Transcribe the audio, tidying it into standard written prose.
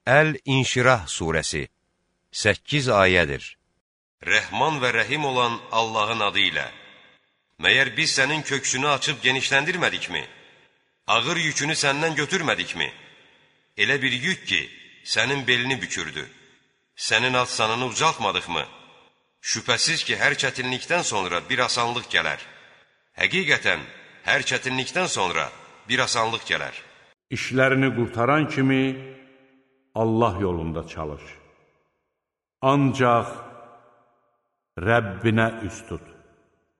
Əl-İnşirah surəsi 8 ayədir. Rəhman və rəhim olan Allahın adı ilə. Məyər biz sənin köksünü açıb genişləndirmədikmi? Ağır yükünü səndən götürmədikmi? Elə bir yük ki, sənin belini bükürdü. Sənin ad-sanını ucaltmadıqmı? Şübhəsiz ki, hər çətinlikdən sonra bir asanlıq gələr. Həqiqətən, hər çətinlikdən sonra bir asanlıq gələr. İşlərini qurtaran kimi Allah yolunda çalış. Ancaq Rəbbinə üst tut.